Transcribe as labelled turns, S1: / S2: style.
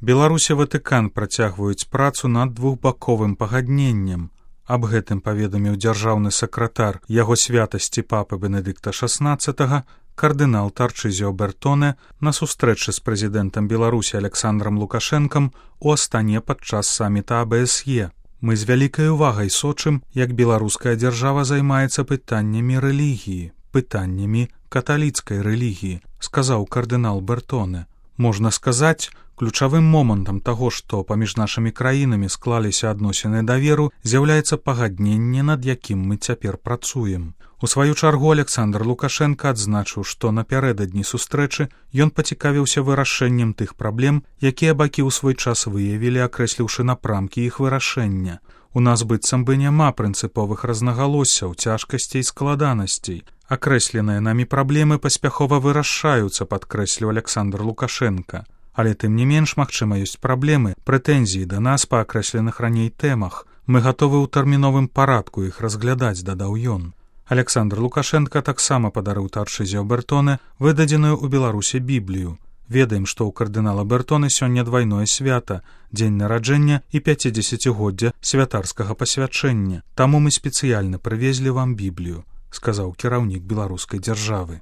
S1: Беларусь і Ватыкан працягваюць працу над двухбаковым пагадненнем. Аб гэтым паведаміў дзяржаўны сакратар яго святасці папы Бенедыкта XVI кардынал Тарчызіо Бертоне на сустрэчы з прэзідэнтам Беларусі Александрам Лукашэнкам у Астане падчас саміта АБСЕ. Мы з вялікай увагай сочым, як беларуская дзяржава займаецца пытаннямі рэлігіі, пытаннямі каталіцкай рэлігіі, сказаў кардынал Бертоне. Можна сказаць, ключавым момантам таго, што паміж нашымі краінамі склаліся адносіны даверу, з'яўляецца пагадненне, над якім мы цяпер працуем. У сваю чаргу Александр Лукашенко адзначыў, што напярэдадні сустрэчы ён пацікавіўся вырашэннем тых праблем, якія бакі ў свой час выявілі, акрэсліўшы напрамкі іх вырашэння. У нас быццам бы няма прынцыповых рознагалоссяў, цяжкасцей, складанасцей. Акрэсленыя намі праблемы паспяхова вырашаюцца, падкрэсліў Александр Лукашенко. Але тым не менш, магчыма, ёсць праблемы, прэтэнзіі да нас па акрэсленых раней тэмах. Мы гатовы ў тэрміновым парадку іх разглядаць, дадаў ён. Александр Лукашенко таксама падарыў Тарчызіо Бертоне выдадзеную ў Беларусі Біблію. Ведаем, што ў кардынала Бертоне сёння двайное свята, дзень нараджэння і 50-годдзя святарскага пасвячэння. Таму мы спецыяльна прывезлі вам Біблію, сказаў кіраўнік беларускай дзяржавы.